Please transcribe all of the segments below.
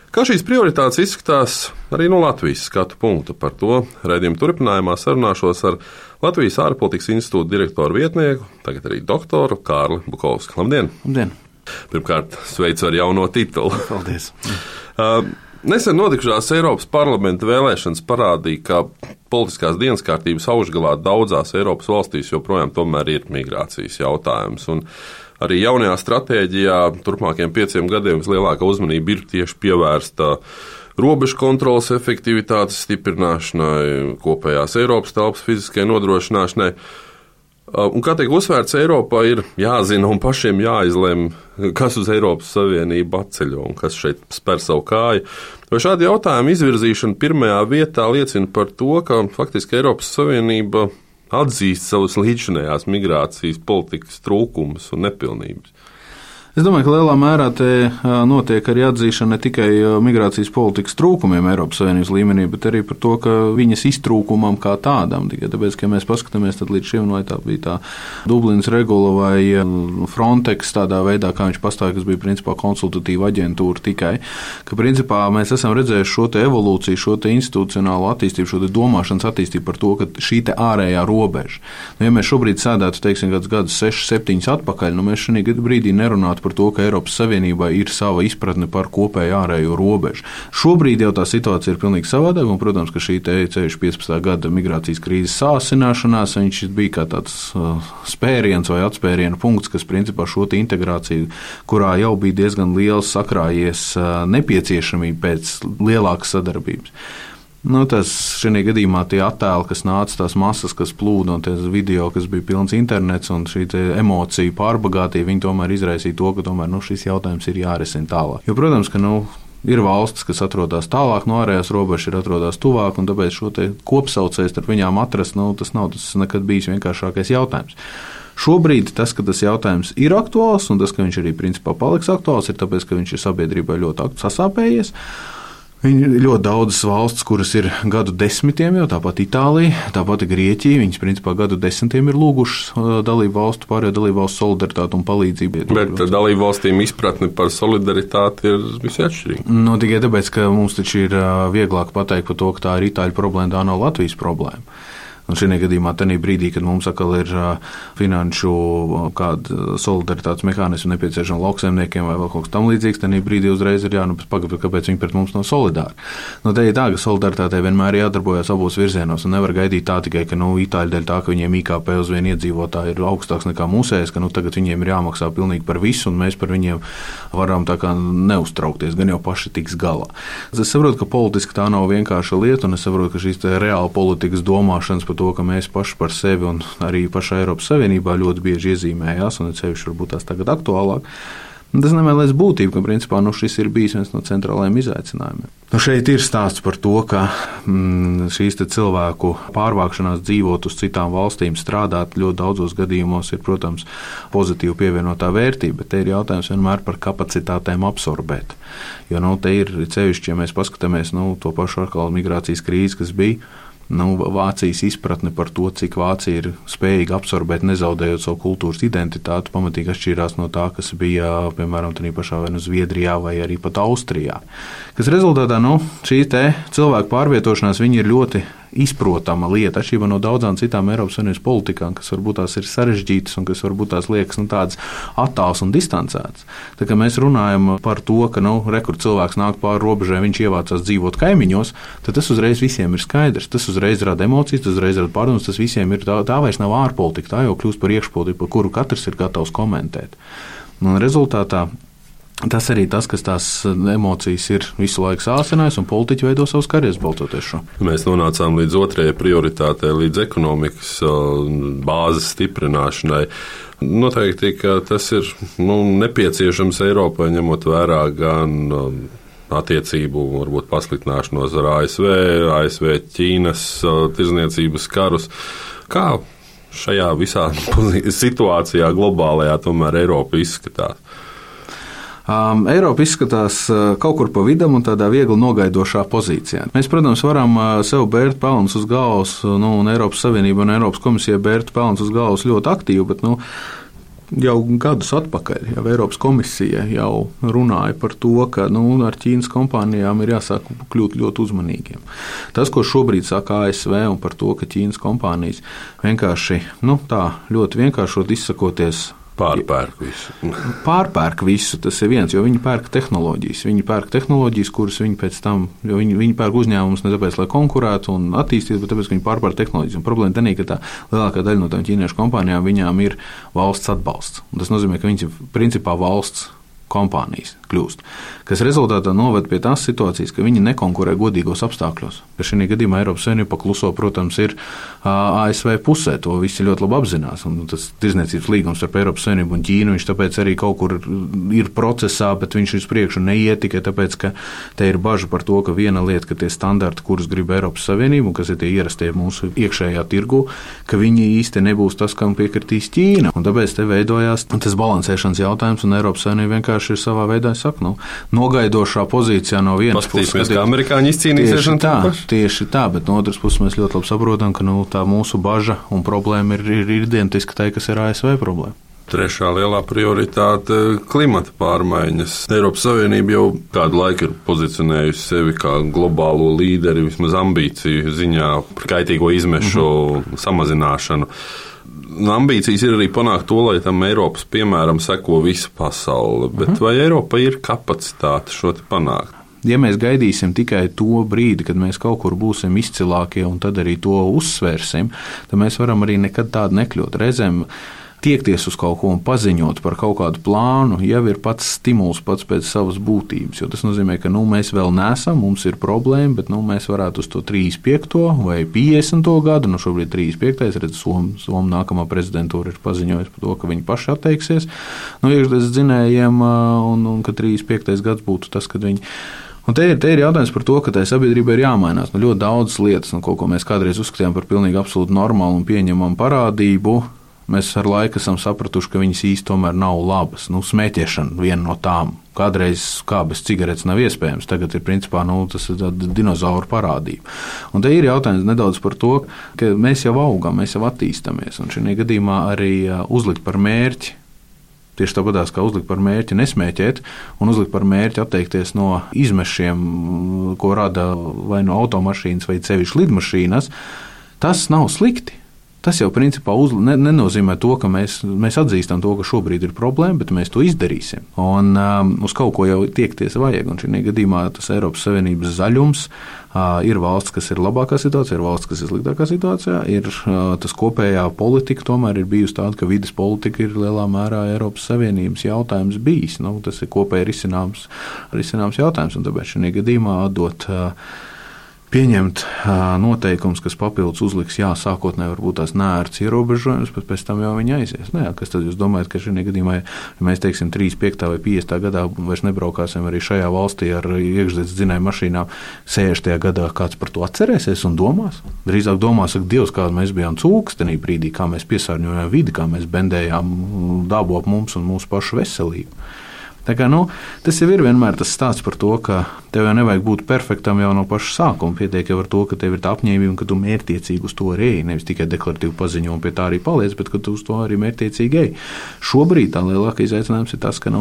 Kā šīs prioritātes izskatās arī no Latvijas skatu punkta? Par to raidījuma turpinājumā sarunāšos ar Latvijas ārpolitikas institūta direktoru vietnieku, tagad arī doktoru Kārli Bukovski. Labdien! Labdien! Pirmkārt, sveicu ar jauno titulu. Paldies! Nesen notikušās Eiropas parlamenta vēlēšanas parādīja, ka politiskās dienas kārtības augšgalā daudzās Eiropas valstīs joprojām tomēr ir migrācijas jautājums. Un arī jaunajā stratēģijā turpmākajiem 5 gadiem vislielākā uzmanība ir tieši pievērsta robežu kontroles efektivitātes stiprināšanai, kopējās Eiropas telpas fiziskai nodrošināšanai. Un, kā tiek uzsvērts, Eiropā ir jāzina un pašiem jāizlem, kas uz Eiropas Savienību atceļo un kas šeit spēr savu kāju. Vai šādi jautājumi izvirzīšana pirmajā vietā liecina par to, ka faktiski Eiropas Savienība atzīst savus līdzinējās migrācijas politikas trūkumus un nepilnības? Es domāju, ka lielā mērā te notiek arī atzīšana ne tikai migrācijas politikas trūkumiem Eiropas Savienības līmenī, bet arī par to, ka viņas iztrūkumam kā tādam. Tikai tāpēc, ka mēs paskatāmies, tad līdz šim vai tā bija tā Dublinas regula vai Frontex tādā veidā, kā viņš pastāja, kas bija principā konsultatīva aģentūra tikai, ka principā mēs esam redzējuši šo te evolūciju, šo te institucionālo attīstību, šo te domāšanas attīstību par to, ka šī te ārējā robeža. Ja mēs šobrīd sēdētu, teiksim, kāds gadus 6, 7 atpakaļ, mēs šī brīdī nerunātu par to, ka Eiropas Savienībā ir sava izpratne par kopēju ārējo robežu. Šobrīd jau tā situācija ir pilnīgi savādāka, un, protams, ka šī ceļš 15. gada migrācijas krīzes sāsināšanās, viņš bija kā tāds spēriens vai atspēriena punkts, kas principā šo integrāciju, kurā jau bija diezgan liels sakrājies nepieciešamība pēc lielākas sadarbības. Tas šajā gadījumā tie attēli, kas nāca, tās masas, kas plūda, un tās video, kas bija pilns internets, un šī emociju pārbagātība, viņi tomēr izraisīja to, ka tomēr šis jautājums ir jārisina tālāk. Jo, protams, ka ir valstis, kas atrodas tālāk no ārējās robežas, ir atrodas tuvāk, un tāpēc šo kopsaucēju starp viņām atrast, tas nav nekad bijis vienkāršākais jautājums. Šobrīd tas, ka tas jautājums ir aktuāls, un tas, ka viņš arī principā paliks aktuāls, ir tāpēc, ka viņš ir sabiedrībai ļoti sasāpējies. Ir ļoti daudzas valstis, kuras ir gadu desmitiem jau, tāpat Itālija, tāpat Grieķija, viņas principā gadu desmitiem ir lūgušas pārējo dalību valstu solidaritāti un palīdzību. Bet dalību valstīm izpratne par solidaritāti ir visai atšķirīga. Tikai tāpēc, ka mums taču ir vieglāk pateikt par to, ka tā ir Itāļu problēma, tā nav Latvijas problēma. Un šajā gadījumā, tajā brīdī, kad mums atkal ir finanšu kāda solidaritātes mehānismi nepieciešama lauksaimniekiem vai vēl kaut kas tam līdzīgs, tajā brīdī uzreiz ir pagaidīt, kāpēc viņi pret mums nav solidāri. Te ir tā, ka solidaritātei vienmēr jādarbojas abos virzienos, un nevar gaidīt tā tikai, ka Itāļi dēļ tā, ka viņiem IKP uz vienu iedzīvotāju ir augstāks nekā mūsējais, ka tagad viņiem ir jāmaksā pilnīgi par visu, un mēs par viņiem varam tā kā neuztraukties, gan jau paši tiks galā. Es saprotu, ka politiski tā nav vienkārša lieta, un es saprotu, ka šīs reāla politikas domāšanas to, ka mēs paši par sevi un arī pašā Eiropas Savienībā ļoti bieži iezīmējās, un sevišķi varbūt tās tagad aktuālāk. Tas nemēlēs būtību, ka principā šis ir bijis viens no centrālajiem izaicinājumiem. Šeit ir stāsts par to, ka šīs cilvēku pārvākšanās dzīvot uz citām valstīm, strādāt ļoti daudzos gadījumos ir, protams, pozitīvi pievienotā vērtība, bet te ir jautājums vienmēr par kapacitātēm absorbēt. Jo te ir sevišķi, ja mēs paskatāmies to pašu atkal migrācijas krīzi, kas bija, Vācijas izpratne par to, cik Vācija ir spējīga absorbēt, nezaudējot savu kultūras identitāti, pamatīgi atšķīrās no tā, kas bija, piemēram, tādā pašā vai Zviedrijā vai arī pat Austrijā. Kas rezultātā, šī cilvēku pārvietošanās, viņi ir ļoti izprotama lieta, atšķirībā no daudzām citām Eiropas Savienības politikām, kas varbūt tās ir sarežģītas un kas varbūt tās liekas tādas attāls un distancētas. Tā kā mēs runājam par to, ka kur cilvēks nāk pāri robežai, viņš ievācās dzīvot kaimiņos, tad tas uzreiz visiem ir skaidrs. Tas uzreiz rada emocijas, tas uzreiz rada pārdomas, tas visiem ir tā vairs nav ārpolitika, tā jau kļūst par iekšpolitiku, par kuru katrs ir gatavs komentēt. Un rezultātā tas arī tas, kas tās emocijas ir visu laiku sāsinājis, un politiķi veido savus karjeras balstoties šo. Mēs nonācām līdz otrajai prioritātei, līdz ekonomikas bāzes stiprināšanai. Noteikti, ka tas ir nepieciešams Eiropai, ņemot vērā gan attiecību, varbūt pasliktināšanos ar ASV, Ķīnas tirdzniecības karus. Kā šajā visā situācijā globālajā tomēr Eiropa izskatās? Eiropa izskatās kaut kur pa vidam un tādā viegli nogaidošā pozīcijā. Mēs, protams, varam sev bērt pelnus uz galvas, un Eiropas Savienība un Eiropas komisija bērt pelnus uz galvas ļoti aktīvi, bet jau gadus atpakaļ, jau Eiropas komisija jau runāja par to, ka ar Ķīnas kompānijām ir jāsāk kļūt ļoti uzmanīgiem. Tas, ko šobrīd saka ASV un par to, ka Ķīnas kompānijas vienkārši, tā ļoti vienkāršot izsakoties, Pārpērk visu, tas ir viens, jo viņi pērk tehnoloģijas. Viņi pērk tehnoloģijas, kuras viņi pēc tam, jo viņi pērk uzņēmumus ne tāpēc, lai konkurētu un attīstītu, bet tāpēc, ka viņi pārpērk tehnoloģijas. Un problēma tā, ka tā lielākā daļa no tām ķīniešu kompānijām viņām ir valsts atbalsts. Un tas nozīmē, ka viņas ir principā valsts kompānijas kļūst, kas rezultātā noved pie tās situācijas, ka viņi nekonkurē godīgos apstākļos. Ka šī gadījumā Eiropas Savienība pakluso, protams, ir ASV pusē, to visi ļoti labi apzinās. Un tas tirdzniecības līgums starp Eiropas Savienību un Ķīnu, viņš tāpēc arī kaut kur ir procesā, bet viņš uz priekšu neiet tikai tāpēc, ka te ir baža par to, ka viena lieta, ka tie standarti, kurus grib Eiropas Savienība un kas ir tie ierastie mūsu iekšējā tirgu, ka viņi īsti nebūs tas, kam piekritīs Ķīna. Un tāpēc te veidojās tas balansēšanas jautājums, un Eiropas Savienība vienkārši ir savā veidā, nogaidošā pozīcijā no vienas puses. Paskatīsimies, kā amerikāņi izcīnīsies. Tieši tā, bet no otras puses mēs ļoti labi saprotam, ka tā mūsu baža un problēma ir identiska tai, kas ir ASV problēma. Trešā lielā prioritāte - klimata pārmaiņas. Eiropas Savienība jau kādu laiku ir pozicionējusi sevi kā globālo līderi, vismaz ambīciju ziņā par kaitīgo izmešu samazināšanu. Ambīcijas ir arī panākt to, lai tam Eiropas piemēram seko visa pasaule, bet vai Eiropa ir kapacitāte šo te panākt? Ja mēs gaidīsim tikai to brīdi, kad mēs kaut kur būsim izcilākie un tad arī to uzsvērsim, tad mēs varam arī nekad tādu nekļūt. Reizēm tiekties uz kaut ko un paziņot par kaut kādu plānu jau ir pats stimuls pats pēc savas būtības, jo tas nozīmē, ka mēs vēl neesam, mums ir problēma, bet mēs varētu uz to 35. vai 50. gadu, šobrīd 35. redz, Somu nākamā prezidentūra ir paziņojusi par to, ka viņi paši atteiksies no iekšzemes dzinējiem un ka 35. gads būtu tas, kad viņi. Un te ir jautājums par to, ka tai sabiedrībai ir jāmainās. Ļoti daudzas lietas, kaut ko mēs kādreiz uzskatījām par pilnīgi absolūti normālu un pieņemamu parādību, mēs ar laiku esam sapratuši, ka viņas īsti tomēr nav labas. Smēķēšana viena no tām. Kādreiz kā bez cigaretes nav iespējams, tagad ir principā tas ir dinozauru parādība. Un te ir jautājums nedaudz par to, ka mēs jau augam, mēs jau attīstamies, un šajā gadījumā arī uzlikt par mērķi, tieši tāpatās kā uzlikt par mērķi nesmēķēt un uzlikt par mērķi atteikties no izmešiem, ko rada vai no automašīnas vai sevišķi lidmašīnas, tas nav slikti. Tas jau principā nenozīmē to, ka mēs atzīstam to, ka šobrīd ir problēma, bet mēs to izdarīsim. Un uz kaut ko jau tiekties vajag. Un šajā gadījumā tas Eiropas Savienības zaļums ir valsts, kas ir labākā situācijā, ir valsts, kas ir sliktākā situācijā. Ir tas kopējā politika tomēr ir bijusi tāda, ka vides politika ir lielā mērā Eiropas Savienības jautājums bijis. Tas ir kopēji risināms jautājums, un tāpēc šajā gadījumā atdot pieņemt noteikums, kas papildus uzliks, sākotnēji varbūt tās neērts ierobežojums, bet pēc tam jau viņi aizies. Kas tad jūs domājat, ka šajā gadījumā, ja mēs teiksim 35. vai 50. gadā vairs nebraukāsim arī šajā valstī ar iekšzemes dzinēju mašīnām, 60. gadā kāds par to atcerēsies un domās? Drīzāk domās, ka Dievs, kāda mēs bijām cūkas tenī brīdī, kā mēs piesārņojām vidi, kā mēs bendējām dabu ap mums un mūsu pašu veselību. Tā kā, tas jau ir vienmēr tas stāsts par to, ka tev jau nevajag būt perfektam jau no paša sākuma. Pietiek jau ar to, ka tev ir tā apņēmība un ka tu mērķtiecīgi uz to arī ej. Nevis tikai deklaratīvi paziņo un pie tā arī paliec, bet ka tu uz to arī mērķtiecīgi ej. Šobrīd tā lielākais izaicinājums ir tas, ka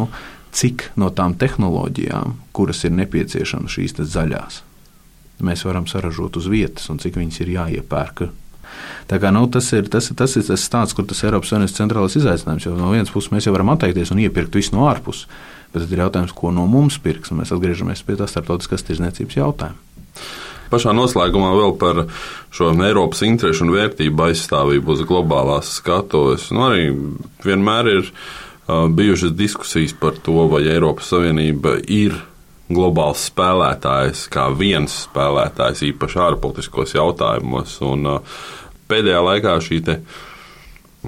cik no tām tehnoloģijām, kuras ir nepieciešamas šīs zaļās, mēs varam saražot uz vietas un cik viņas ir jāiepērk. Tā kā, tas ir tas stāsts, kur tas Eiropas Savienības centrālais izaicinājums, jo no vienas puses mēs jau varam atteikties un iepirkt visu no ārpuses, bet tad ir jautājums, ko no mums pirks, un mēs atgriežamies pie tā starptautiskās tirdzniecības jautājuma. Pašā noslēgumā vēl par šo Eiropas interešu un vērtību aizstāvību uz globālās skatuves. Arī vienmēr ir bijušas diskusijas par to, vai Eiropas Savienība ir globāls spēlētājs, kā viens spēlētājs, īpaši ārpolitiskos jautājumos. Un pēdējā laikā šī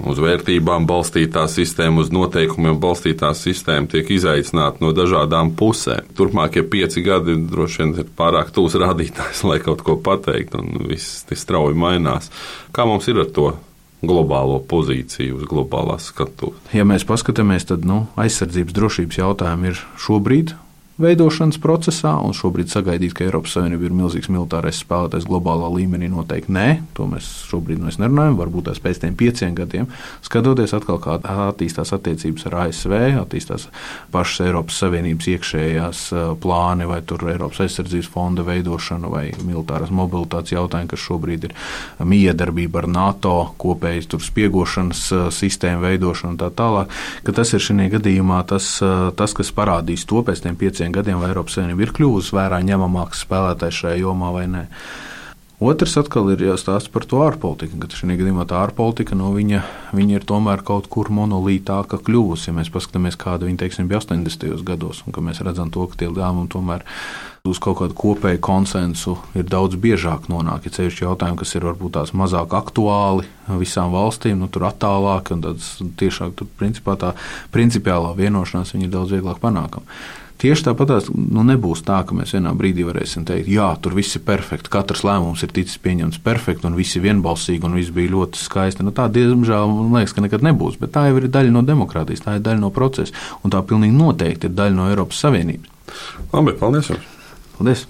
uz vērtībām balstītā sistēma, uz noteikumiem balstītā sistēma tiek izaicināta no dažādām pusēm. Turpmākie 5 gadi droši vien ir pārāk tūs rādītājs, lai kaut ko pateikt, un viss strauji mainās. Kā mums ir ar to globālo pozīciju uz globālās skatuves? Ja mēs paskatāmies, tad aizsardzības drošības jautājumi ir šobrīd veidošanas procesā, un šobrīd sagaidīt, ka Eiropas Savienība ir milzīgs militārais spēlētājs globālā līmenī, noteikti nē. To mēs šobrīd nerunājam, varbūt tās pēc tiem 5 gadiem. Skatoties atkal, kā attīstās attiecības ar ASV, attīstās pašas Eiropas Savienības iekšējās plāni, vai tur Eiropas aizsardzības fonda veidošana, vai militārās mobilitātes jautājumi, kas šobrīd ir miedarbība ar NATO, kopējas tur spiegošanas sistēmu veidošana un tā tālāk, ka tas ir šajā gadījumā tas, kas parādīs to pēc tiem 5 gadiem, vai Eiropas Savienība ir kļuvusi vērā ņemamāks spēlētājs šajā jomā vai nē. Otrs atkal ir jāstāsta par to ārpolitiku, ka šajā gadījumā tā ārpolitika, viņa ir tomēr kaut kur monolītāka kļuvusi. Ja mēs paskatāmies, kāda viņa, teiksim, bija 80. gados, un ka mēs redzam to, ka tie lēmumi tomēr uz kaut kādu kopēju konsensu ir daudz biežāk nonāk. Ja ceļš jautājumi, kas ir varbūt tās mazāk aktuāli visām valstīm, tur attālāk, un tāds tiešāk tur principā tā principiālā vienošanās viņa ir daudz vieglāk panākama. Tieši tāpat nebūs tā, ka mēs vienā brīdī varēsim teikt, jā, tur viss ir perfekti, katrs lēmums ir ticis pieņemts perfekti, un visi vienbalsīgi, un viss bija ļoti skaisti. Tā, diemžēl, man liekas, ka nekad nebūs, bet tā jau ir daļa no demokrātijas, tā ir daļa no procesa, un tā pilnīgi noteikti ir daļa no Eiropas Savienības. Labi, paldies jums! Paldies!